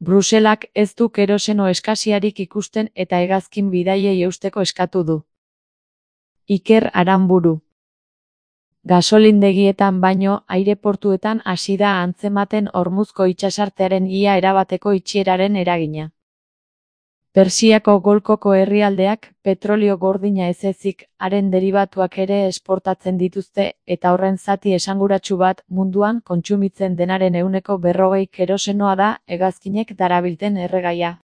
Bruselak ez du keroseno eskasiarik ikusten eta hegazkin bidaiei eusteko eskatu du. Iker Aranburu. Gasolindegietan baino aireportuetan hasi da antzematen Hormuzko itsasartearen ia erabateko itxieraren eragina. Persiako golkoko herrialdeak petrolio gordina ez ezik, haren deribatuak ere esportatzen dituzte eta horren zati esanguratsu bat munduan kontsumitzen denaren 40% kerosenoa da hegazkinek darabilten erregaia.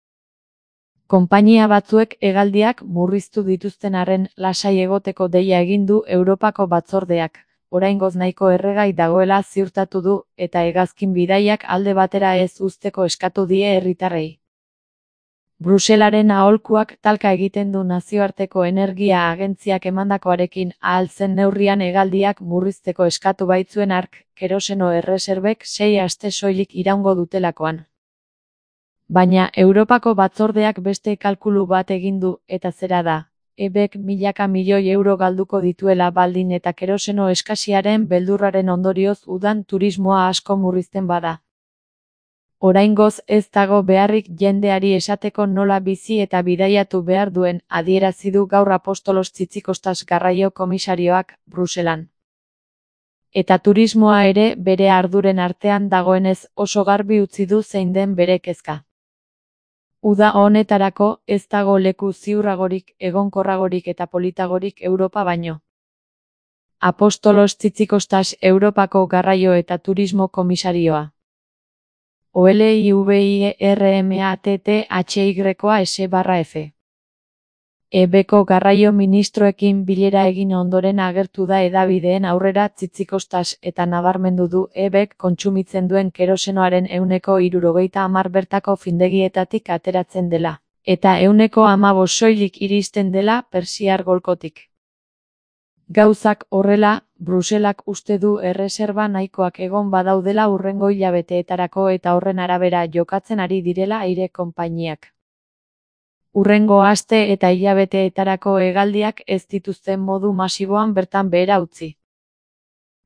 Konpainia batzuek hegaldiak murriztu dituzten arren lasai egoteko deia egin du Europako batzordeak, oraingoz nahiko erregai dagoela ziurtatu du eta hegazkin bidaiak alde batera ez uzteko eskatu die herritarrei. Bruselaren aholkuak talka egiten du nazioarteko energia agentziak emandakoarekin ahal zen neurrian hegaldiak murrizteko eskatu baitzuen hark, keroseno erreserbek 6 aste soilik iraungo dutelakoan. Baina Europako batzordeak beste kalkulu bat egin du eta zera da, EBek milaka milioi euro galduko dituela baldin eta keroseno eskasiaren beldurraren ondorioz udan turismoa asko murrizten bada. Oraingoz ez dago beharrik jendeari esateko nola bizi eta bidaiatu behar duen, adierazi du gaur Apostolos Tzitzikostas garraio komisarioak, Bruselan. Eta turismoa ere bere arduren artean dagoenez oso garbi utzi du zein den bere kezka. Uda honetarako ez dago leku ziurragorik, egonkorragorik eta politagorik Europa baino. Apostolos Tzitzikostas Europako garraio eta turismo komisarioa. OLIVIRMATTHYS/F. EBko garraio ministroekin bilera egin ondoren agertu da hedabideen aurrera Tzitzikostas eta nabarmendu du EBek kontsumitzen duen kerosenoaren 70% bertako findegietatik ateratzen dela, eta 15% soilik iristen dela Persiar golkotik. Gauzak horrela, Bruselak uste du erreserba nahikoak egon badaudela hurrengo hilabeteetarako eta horren arabera jokatzen ari direla aire konpainiak. Hurrengo aste eta hilabeteetarako hegaldiak ez dituzten modu masiboan bertan behera utzi.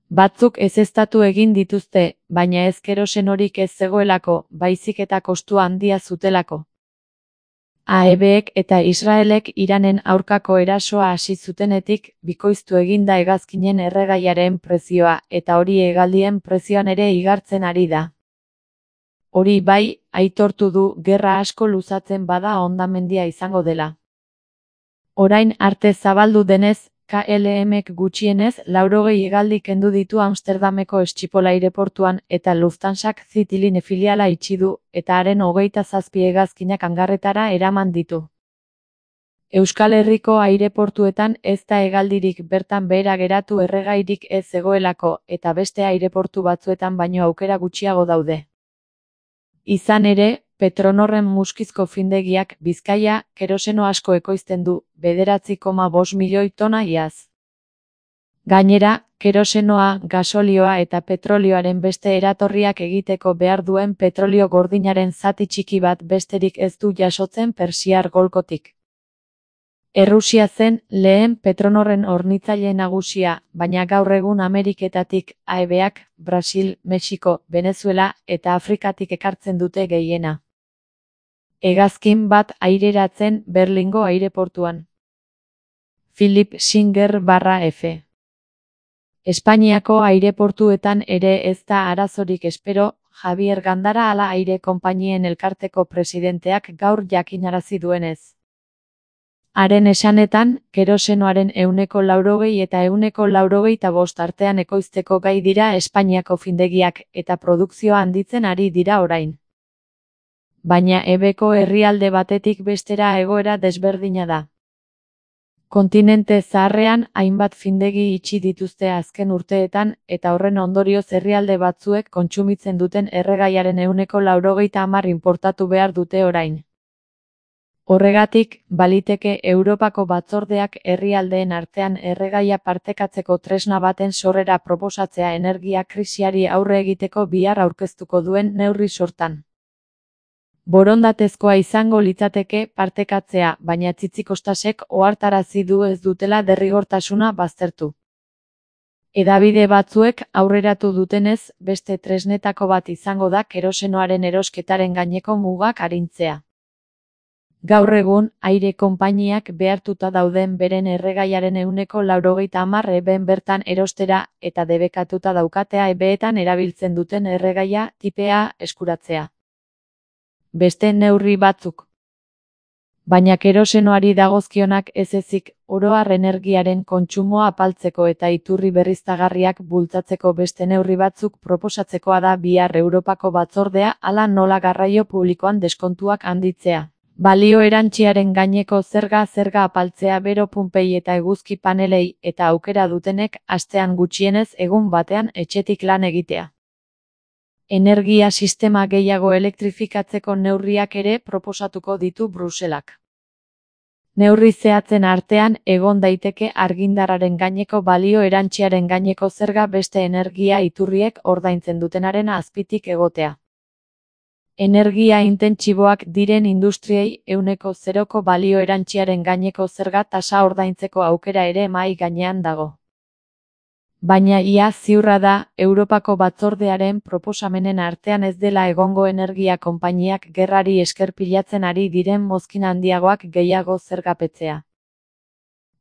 Batzuk ezeztatu egin dituzte, baina ez kerosenorik ez zegoelako, baizik eta kostua handia zutelako. AEBek eta Israelek Iranen aurkako erasoa hasi zutenetik, bikoiztu eginda hegazkinen erregaiaren prezioa eta hori hegaldien prezioan ere igartzen ari da. Hori bai, aitortu du gerra asko luzatzen bada hondamendia izango dela. Orain arte zabaldu denez, KLMek gutxienez 80 hegaldi kendu ditu Amsterdameko Schiphol aireportuan eta Lufthansak Citylin filiala itxi du eta haren 27 hegazkinak hangarretara eraman ditu. Euskal Herriko aireportuetan ez da hegaldirik bertan behera geratu erregairik ez zegoelako eta beste aireportu batzuetan baino aukera gutxiago daude. Izan ere, Petronorren muskizko findegiak Bizkaia keroseno asko ekoizten du, 9,5 milioi tona iaz. Gainera, kerosenoa, gasolioa eta petrolioaren beste eratorriak egiteko behar duen petrolio gordinaren zati txiki bat besterik ez du jasotzen Persiar golkotik. Errusia zen lehen Petronorren hornitzaile nagusia, baina gaur egun Ameriketatik, AEBak, Brasil, Mexiko, Venezuela eta Afrikatik ekartzen dute gehiena. Hegazkin bat aireratzen Berlingo aireportuan. Philip Singer/F. Espainiako aireportuetan ere ez da arazorik espero, Javier Gandara ala aire konpainien elkarteko presidenteak gaur jakinarazi duenez. Haren esanetan, kerosenoaren 80% eta 85% artean ekoizteko gai dira Espainiako findegiak eta produkzioa handitzen ari dira orain. Baina EBko herrialde batetik bestera egoera desberdina da. Kontinente zaharrean hainbat findegi itxi dituzte azken urteetan eta horren ondorioz herrialde batzuek kontsumitzen duten erregaiaren 80% inportatu behar dute orain. Horregatik, baliteke Europako batzordeak herrialdeen artean erregaia partekatzeko tresna baten sorrera proposatzea energia krisiari aurre egiteko bihar aurkeztuko duen neurri sortan. Borondatezkoa izango litzateke partekatzea, baina Tzitzikostasek ohartarazi du ez dutela derrigortasuna baztertu. Hedabide batzuek aurreratu dutenez, beste tresnetako bat izango da kerosenoaren erosketaren gaineko mugak arintzea. Gaur egun, aire konpainiak behartuta dauden beren erregaiaren 90% eben bertan erostera eta debekatuta daukatea ebeetan erabiltzen duten erregaia tipea eskuratzea. Beste neurri batzuk. Baina kerosenoari dagozkionak ez ezik, oro har energiaren kontsumoa apaltzeko eta iturri berriztagarriak bultzatzeko beste neurri batzuk proposatzekoa da bihar Europako batzordea hala nola garraio publikoan deskontuak handitzea. Balio erantsiaren gaineko zerga apaltzea bero punpei eta eguzki panelei eta aukera dutenek astean gutxienez egun batean etxetik lan egitea. Energia sistema gehiago elektrifikatzeko neurriak ere proposatuko ditu Bruselak. Neurri zehatzen artean egon daiteke argindarraren gaineko balio erantsiaren gaineko zerga beste energia iturriek ordaintzen dutenaren azpitik egotea. Energia intentsiboak diren industriei 0% balio erantsiaren gaineko zerga tasa ordaintzeko aukera ere mahai gainean dago. Baina ia ziurra da, Europako batzordearen proposamenen artean ez dela egongo energia konpainiak gerrari esker pilatzen ari diren mozkin handiagoak gehiago zergapetzea.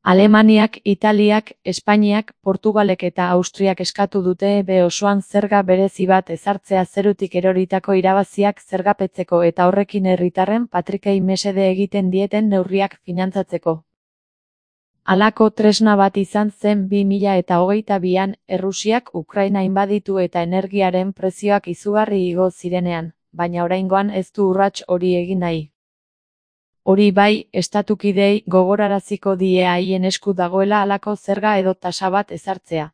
Alemaniak, Italiak, Espainiak, Portugalek eta Austriak eskatu dute EB osoan zerga berezi bat ezartzea zerutik eroritako irabaziak zergapetzeko eta horrekin herritarren patrikei mesede egiten dieten neurriak finantzatzeko. Halako tresna bat izan zen 2022an Errusiak Ukraina inbaditu eta energiaren prezioak izugarri igo zirenean, baina oraingoan ez du urrats hori egin nahi. Hori bai, estatukideei gogoraraziko die haien esku dagoela halako zerga edo tasa bat ezartzea.